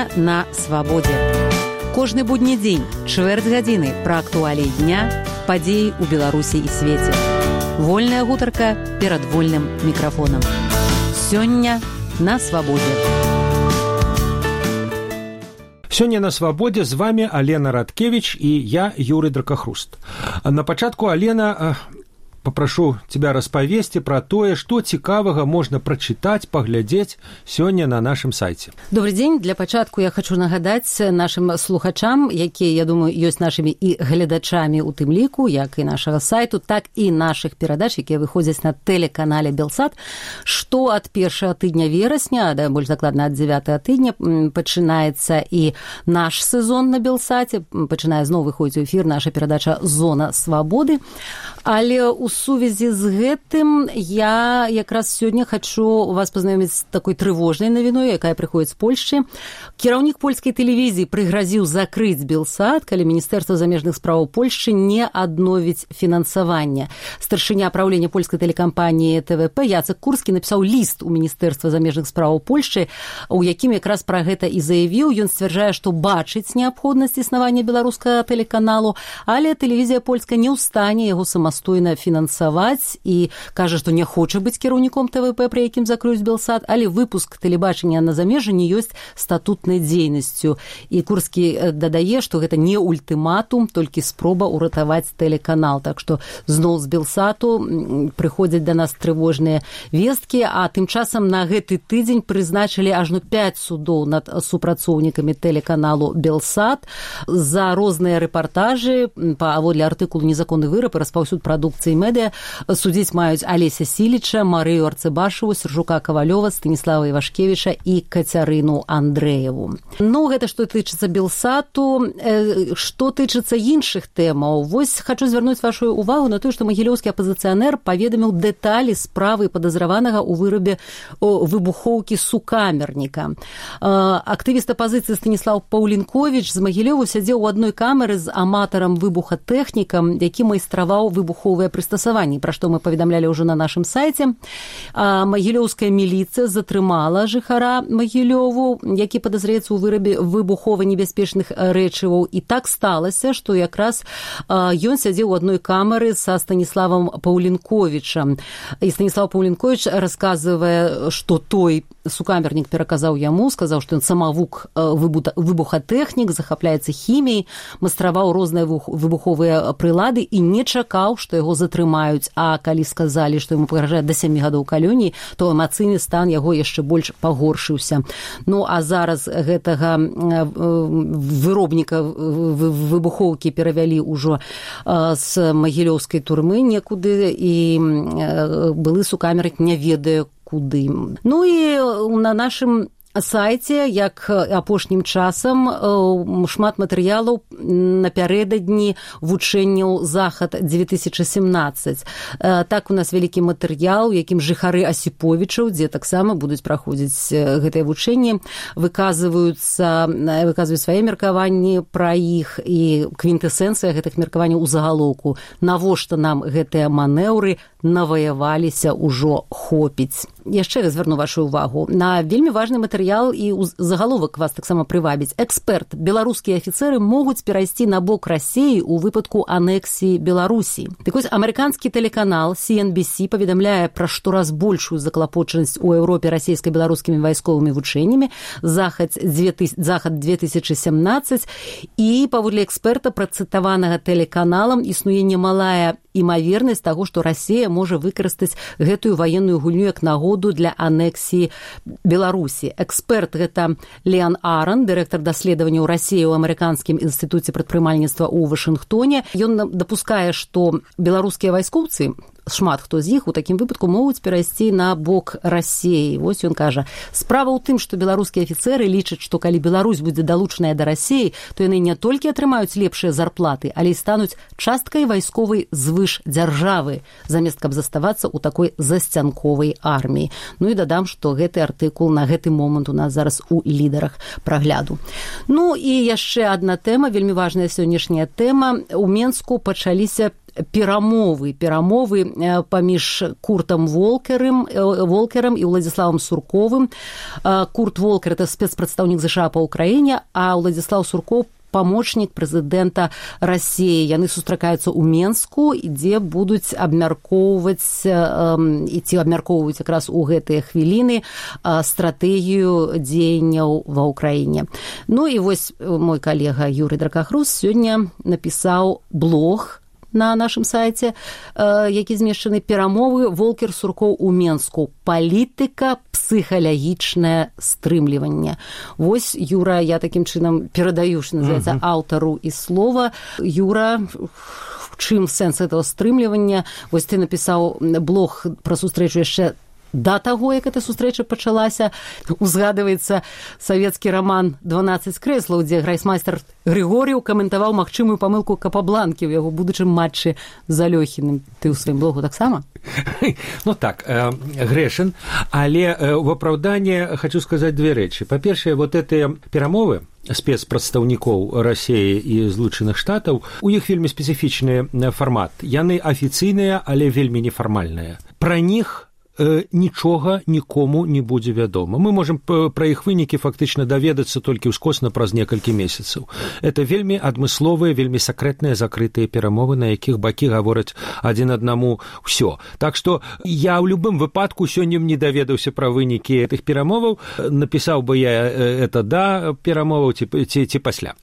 Сёння на свабодзе. Кожны будні дзень, чвэрць гадзіны пра актуаліі дня, падзеі ў Беларусі і свеце. Вольная гутарка перад вольным мікрафонам. Сёння на свабодзе. Сёння на свабодзе з вами Алена Радкевич і я, Юрый Дракахруст. На пачатку, Алена, попрошу тебя распавесці пра тое, што цікавага можна прачытаць, паглядзець сёння на нашым сайце. Добрый дзень. Для пачатку я хочу нагадаць нашым слухачам, якія, я думаю, ёсць нашымі і гледачамі ў тым ліку, як і нашага сайту, так і нашых перадач, якія выходзяць на тэлеканале Белсат, што ад першага тыдня верасня, да, больш дакладна ад 9 тыдня, пачынаецца і наш сезон на Белсаце, пачынае зноў выходзіць у эфір наша перадача «Зона свабоды». Але ў сувязі з гэтым я якраз сёння хочу вас пазнаёміць з такой трывожнай навіной, якая прыходзіць з Польшчы. Кіраўнік польскай тэлевізіі прыгразіў закрыць Белсат, калі Міністэрства замежных спраў Польшчы не адновіць фінансаванне. Старшыня праўлення польскай тэлекампаніі ТВП Яцек Курскі напісаў ліст у Міністэрства замежных спраў Польшчы, у якім якраз пра гэта і заявіў. Ён сцвярджае, што бачыць неабходнасць існавання беларускага тэлеканалу, але тэлевізія польская не ў стане яго самастойна фінансаваць і кажа, што не хоча быць кіраўніком ТВП, пры якім закрыюць Белсат, але выпуск тэлебачання на замежжы не ёсць статутнай дзейнасцю. І Курскі дадае, што гэта не ультыматум, толькі спроба ўратаваць тэлеканал. Так што зноў з Белсату прыходзяць да нас трывожныя весткі, а тым часам на гэты тыдзень прызначылі ажно 5 судоў над супрацоўнікамі тэлеканалу Белсат за розныя рэпартажы, паводле артыкулу «Незаконны выраб і распаўсюд прадукцыі медыа». Судзіць маюць Алеся Сіліча, Марыю Арцыбашаву, Сержука Кавалёва, Станіслава Івашкевіча і Кацярыну Андрэеву. Ну, гэта што тычыцца Белсату. Што тычыцца іншых тэмаў, вось хачу звярнуць вашу увагу на тое, што магілёўскі апазіцыянер паведаміў дэталі справы падазраванага ў вырабе выбухоўкі сукамерніка. Актывіст апазіцыі Станіслав Паўлінковіч з Магілёву сядзеў у адной камеры з аматарам выбухатэхнікам, які майстраваў выбуховыя прыстасаванні, пра што мы паведамлялі ўжо на нашым сайце. Магілёўская міліцыя затрымала жыхара Магілёву, які падазраецца ў вырабе выбухова-небяспечных рэчываў. І так сталася, што якраз ён сядзеў у адной камеры са Станіславам Паўлінковічам. І Станіслав Паўлінковіч расказвае, што той сукамернік пераказаў яму, сказаў, што ён самавук выбухатэхнік, захапляецца хіміяй, майстраваў розныя выбуховыя прылады і не чакаў, што яго затрымаюць. А калі сказалі, што яму пагражае да 7 гадоў калоніі, то эмацыйны стан яго яшчэ больш пагоршыўся. Ну, а зараз гэтага виробніка выбухоўкі перавялі ўжо з магілёўскай турмы некуды, і былы сукамернік не ведае куды. Ну і на нашым сайце, як апошнім часам, шмат матэрыялаў напярэдадні вучэнняў «Захад-2017». Так у нас вялікі матэрыял, у якім жыхары Асіповічаў, дзе таксама будуць праходзіць гэтыя вучэнні, выказваюць свае меркаванні пра іх, і квінтэсэнцыя гэтых меркаванняў у загалоўку. Навошта нам гэтыя манеўры, наваяваліся, ўжо хопіць. Яшчэ звярну вашу увагу на вельмі важны матэрыял, і загаловак вас таксама прывабіць. Эксперт. Беларускія афіцэры могуць перайсці на бок Расіі ў выпадку анексіі Беларусі. Так вось, амерыканскі тэлеканал CNBC паведамляе пра штораз большую заклапочанасць у Еўропе расійска-беларускімі вайсковымі вучэннямі «Захад-2017», і паводле эксперта, працытаванага тэлеканалам, існуе немалая імавернасць таго, што Расія можа выкарыстаць гэтую ваенную гульню як нагоду для анексіі Беларусі. Эксперт гэта Леан Аран, дырэктар даследаванняў Расіі ў амерыканскім інстытуце прадпрымальніцтва ў Вашынгтоне. Ён дапускае, што беларускія вайскоўцы, шмат хто з іх у такім выпадку могуць перайсці на бок Расіі. Вось ён кажа: справа ў тым, што беларускія афіцэры лічаць, што калі Беларусь будзе далучаная да Расіі, то яны не толькі атрымаюць лепшыя зарплаты, але і стануць часткай вайсковай звыш дзяржавы, замест каб заставацца ў такой засцянковай арміі. Ну і дадам, што гэты артыкул на гэты момант у нас зараз у лідарах прагляду. Ну і яшчэ адна тэма, вельмі важная сённяшняя тэма. У Менску пачаліся перамовы паміж Куртам Волкерам і Уладзіславам Сурковым. Курт Волкер – это спецпрадстаўнік ЗША па Ўкраіне, а Уладзіслаў Суркоў памочнік прэзідэнта Расіі. Яны сустракаюцца ў Менску, дзе будуць абмяркоўваць якраз у гэтыя хвіліны стратэгію дзеянняў ва Ўкраіне. Ну і вось мой калега Юрый Дракахрус сёння напісаў блог на нашым сайце, які змешчаны «Перамовы Волкер-Суркоў у Менску. Палітыка, псіхалагічнае стрымліванне». Вось, Юра, я такім чынам перадаю, што называецца, аўтару і слова. Юра, в чым сэнс этого стрымлівання? Вось ты напісаў блог пра сустрэчу яшчэ да таго, як эта сустрэча пачалася. Узгадваецца савецкі раман «12 крэслаў», дзе грайсмайстар Григор'еў каментаваў магчымую памылку Капабланкі ў яго будучым матчы з Алёхіным. Ты ў сваім блогу таксама? Ну так, грэшен, але в апраўданне хочу сказаць две рэчы. Па-першае, вот гэтыя перамовы спецпрадстаўнікоў Расіі і Злучаных Штатаў, у іх вельмі спецыфічны фармат. Яны афіцыйныя, але вельмі нефармальныя. Пра них нічога нікому не будзе вядома. Мы можам пра іх вынікі фактычна даведацца толькі ўскосна праз некалькі месяцаў. Это вельмі адмысловыя, вельмі сакрэтныя закрытыя перамовы, на якіх бакі гавораць адзін аднаму ўсё. Так што я ў любым выпадку сёння не даведаўся пра вынікі гэтых перамоваў, напісаў бы я это да перамоваў ці пасля.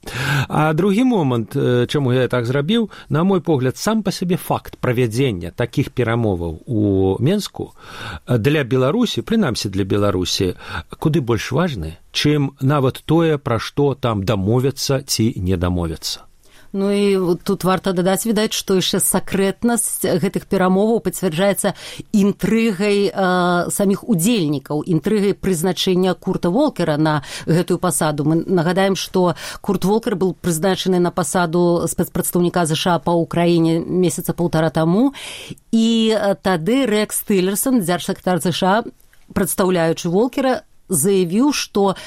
А другі момант, чаму я так зрабіў, на мой погляд, сам па сабе факт правядзення такіх перамоваў у Менску для Беларусі, прынамсі для Беларусі, куды больш важны, чым нават тое, пра што там дамовяцца ці не дамовяцца. Ну і тут варта дадаць, відаць, што яшчэ сакрэтнасць гэтых перамоваў пацвярджаецца інтрыгай саміх удзельнікаў, інтрыгай прызначэння Курта Волкера на гэтую пасаду. Мы нагадаем, што Курт Волкер быў прызначаны на пасаду спецпрадстаўніка ЗША па Ўкраіне месяца паўтара таму, і тады Рекс Тиллерсон, дзяржсакратар ЗША, прадстаўляючы Волкера, заявіў, што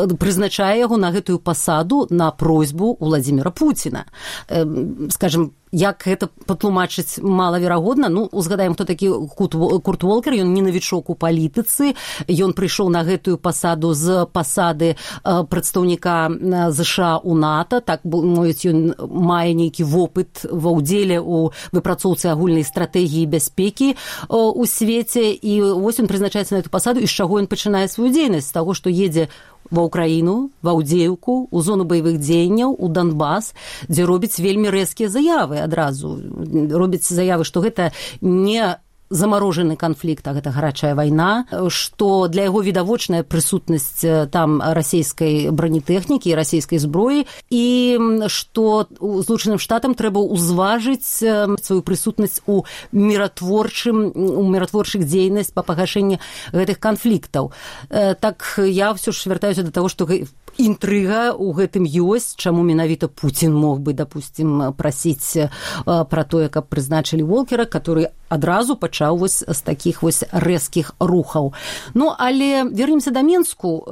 прызначае яго на гэтую пасаду на просьбу Владзіміра Пуціна. Скажем, як гэта патлумачыць малаверагодна, ну, узгадаем, хто такі Курт Волкер, ён не навічок у палітыцы, ён прыйшоў на гэтую пасаду з пасады прадстаўніка ЗША ў НАТО, так, мовіць, ён мае нейкі вопыт ва ўдзеле ў выпрацоўцы агульнай стратэгіі бяспекі ў свеце, і вось ён прызначаецца на эту пасаду, і з чаго ён пачынае сваю дзейнасць? З таго, што едзе ва Ўкраіну, ва Аўдзеўку, у зону баявых дзеянняў, у Донбас, дзе робіць вельмі рэзкія заявы адразу. Робіць заявы, што гэта не замарожаны канфлікт, а гэта гарачая вайна, што для яго відавочная прысутнасць там расійскай бронетэхнікі і расійскай зброі, і што Злучаным Штатам трэба ўзважыць сваю прысутнасць у міратворчых дзейнасць па пагашэнні гэтых канфліктаў. Так я ўсё ж вяртаюся да таго, што інтрыга ў гэтым ёсць, чаму менавіта Пуцін мог бы, допустим, прасіць пра тое, каб прызначылі Волкера, который адразу пачаў вось з такіх вось рэзкіх рухаў. Ну, але вернемся да Менску.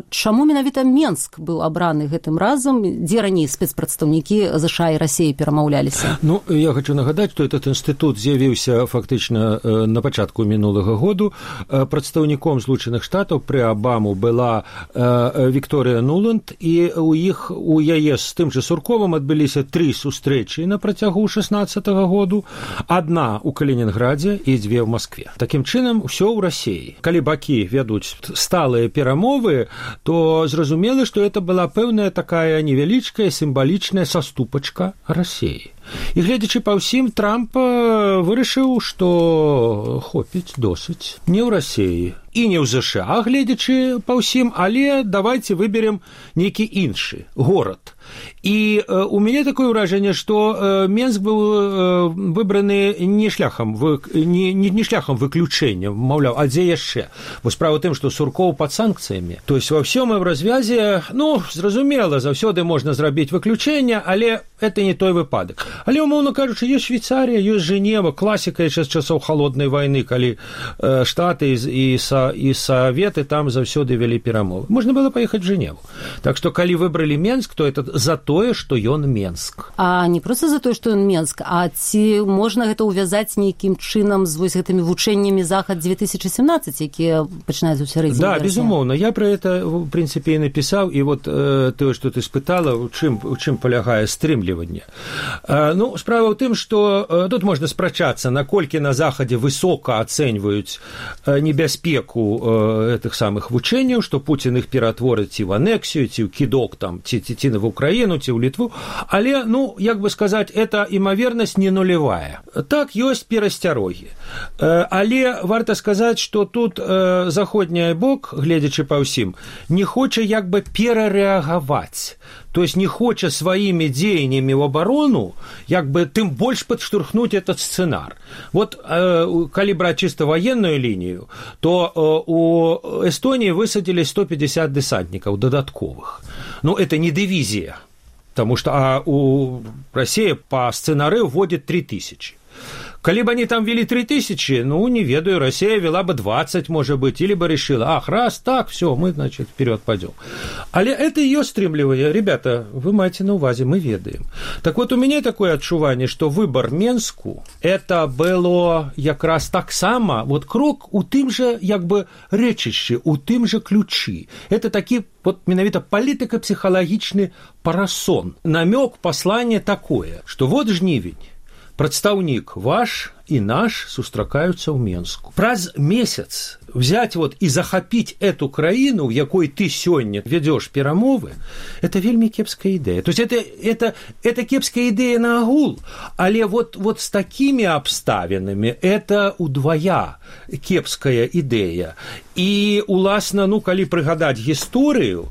Чаму менавіта Менск быў абраны гэтым разам, дзе раней спецпрадстаўнікі ЗША і Расіі перамаўляліся? Ну, я хочу нагадаць, што этот інстытут з'явіўся фактычна на пачатку мінулага году. Прадстаўніком Злучаных Штатаў пры Абаму была Вікторыя Нуланд, і у яе з тым жа Сурковым адбыліся 3 сустрэчы на працягу 16-го году, адна ў Калінінградзе і 2 ў Маскве. Такім чынам, усё ў Расіі. Калі бакі вядуць сталыя перамовы, то зразумела, што это была пэўная такая невялічкая сімвалічная саступачка Расіі. І гледзячы па ўсім, Трамп вырашыў, што хопіць досыць не ў Расіі і не ў ЗША, гледзячы па ўсім, але давайце выберем нейкі іншы горад. І у мяне такое ўражанне, што Менск быў выбраны не шляхам выключэння, маўляў, а дзе яшчэ? Бо справа ў тым, што Суркоў пад санкцыямі. То есть ва ўсём і ў развязе, ну, зразумела, заўсёды можна зрабіць выключэнне, але это не той выпадак. Але, умоўна кажучы, ёсць Швейцарія, ёсць Жэнева, класіка яшчэ з часоў халоднай вайны, калі Штаты і Саветы там заўсёды вялі перамовы. Можна было паехаць в Жэневу. Так што, калі выбралі Менск, то это за тое, што ён Менск. А не проста за тое, што ён Менск, а ці можна гэта ўвязаць нейкім чынам з вось гэтымі вучэннямі Захад 2017, якія пачынаюць у сярэдзіне верасня? Да, безумоўна. Я про это, в принципе, и написал. И вот тое, што ты спытала, у чым палягае стрымліванне. Ну, справа ў тым, што тут можна спрачацца, наколькі на Захадзе высока ацэньваюць небяспеку гэтых самых вучэнняў, што Пуцін іх ператворыць ці в анексію, ці ў кідок, там, ці в Украіну, ці ў Літву. Але, ну, як бы сказаць, эта імавернасць не нулевая. Так, ёсць перасцярогі. Але варта сказаць, што тут заходні бок, гледзячы па ўсім, не хоча як бы перарэагаваць. То есть не хоча сваімі дзеяннямі ў абарону як бы тым больш падштурхнуць этот сцэнар. Вот калі браць чыста ваенную лінію, то у Эстонии высадили 150 десантников додатковых. Ну, это не дивизия, потому что у России по сценарию вводит 3000. Калі бы они там вели 3000, ну, не ведаю, Россия вела бы 20, может быть, или бы решила, раз так, все, мы, значит, вперед пойдем. Але это ее стремление. Ребята, вы маете на увазе, мы ведаем. Так вот, у меня такое адчуванне, что выбор Менску, это было як раз так само, вот крок у тым же, як бы, рэчышчы, у тым же ключи. Это такі, вот, менавіта палітыка-псіхалагічны парасон. Намёк, послание такое, что вот жнівень, прадстаўнік ваш и наш сустракаются в Менску. Праз месяц взять вот и захопить эту краіну, в якой ты сёння ведёшь перамовы, это вельмі кепская идея. То есть это кепская идея на агул, але вот с такими обставинами это удвоя кепская идея. И уласна, ну, калі прыгадаць гісторыю,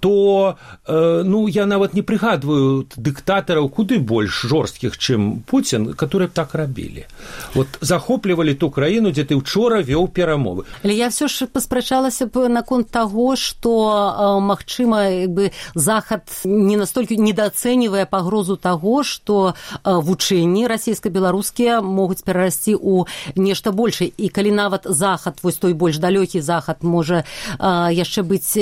то, ну, я нават не прыгадваю дыктатараў куды больш жорсткіх, чым Путин, которые так рабілі. Вот захоплівалі ту краіну, дзе ты учора вёў перамовы. Але я все ж паспрачалася б наконт таго, што, магчыма, бы Захад не настолькі недооцэньвае пагрозу таго, што вучэнні расійска-беларускія могуць перарасці ў нешта большае. І калі нават Захад, вось той больш далёкі Захад, можа яшчэ быць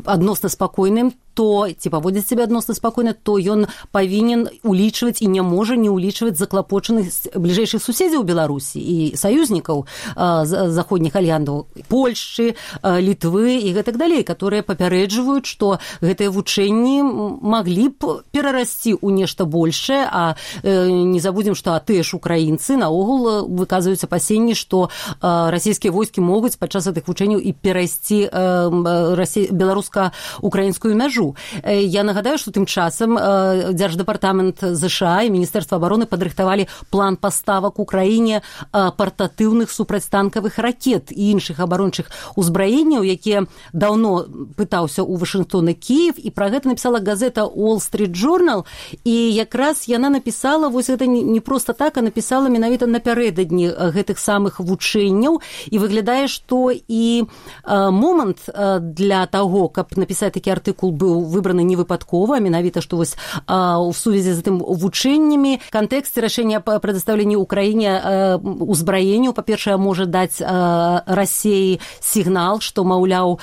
адносна спакойным, то, ці паводзіць сябе адносна спакойна, то ён павінен улічваць і не можа не улічваць заклапочаных бліжэйшых суседзяў Беларусі і саюзнікаў заходніх альянсаў, Польшчы, Літвы і гэтак далей, которые папярэджваюць, што гэтыя вучэнні маглі б перарасці ў нешта большае, а не забудзем, што тыя ж украінцы наогул выказваюць апасенні, што расійскія войскі могуць падчас гэтых вучэнняў і перайсці беларуска-украінскую мяжу. Я нагадаю, што тым часам Дзярждэпартамент ЗША і Міністэрства абароны падрыхтавалі план паставак Украіне партатыўных супрацьтанкавых ракет і іншых абарончых узбраенняў, якія даўно пытаўся ў Вашынгтон і Кіев, і пра гэта напісала газета Wall Street Journal, і якраз яна напісала, вось гэта не проста так, а напісала менавіта напярэдадні гэтых самых вучэнняў, і выглядае, што і момант для таго, каб напісаць такі артыкул, быў выбраны невыпадкова, а менавіта, што вось у сувязі з гэтым вучэннямі кантэксце рашэння па прадастаўленні Украіне узбраенняў, па-першае, можа даць Расіі сігнал, што, маўляў,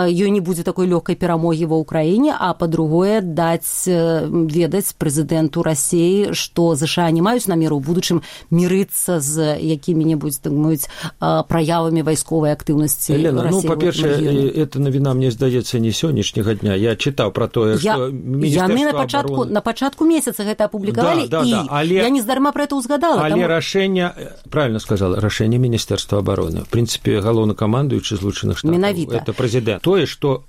ёй не будзе такой лёгкай перамогі ва Ўкраіне, а па-другое, даць ведаць прэзідэнту Расіі, што ЗША не маюць намеру ў будучым мірыцца з якімі-небудзь, так мовіць, праявамі вайсковай актыўнасці Расіі. Елена, ну, па-першае, эта навіна, мне здаецца, не сённяшняга дня. Я чытаў пра тое, што Міністэрства абароны... на пачатку месяца гэта апублікавалі, але... я не здарма пра гэта ўзгадала. Але рашэнне, правильно сказала, рашэнне Міністэрства абароны. В прынцыпе, галоўнакамандуючы Злучаных Штатаў. Менавіта. Это прэзідэнт. Тое, што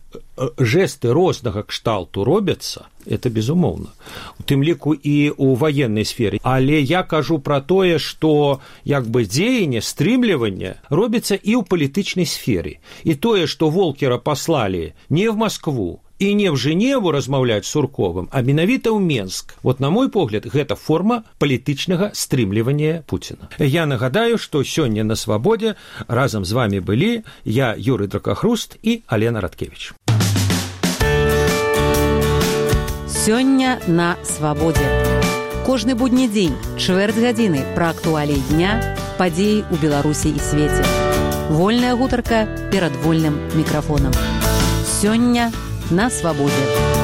жесты рознага кшталту робяцца, это безумоўна. У тым ліку і ў ваеннай сферы. Але я кажу пра тое, што як бы дзеянне, стрымліванне робіцца і ў палітычнай сферы. І тое, што Волкера паслалі не в Москву, и не в Женеву размаўляць з Сурковым, а менавіта ў Менск. Вот, на мой погляд, гэта форма палітычнага стрымлівання Пуціна. Я нагадаю, што сёння на Свабодзе разам з вами былі я, Юрый Дракахруст і Алена Радкевіч. Сёння на Свабодзе. Кожны будні дзень, чвэрць гадзіны пра актуаліі дня, падзеі ў Беларусі і свеце. Вольная гутарка перад вольным мікрафонам. Сёння на Свабодзе.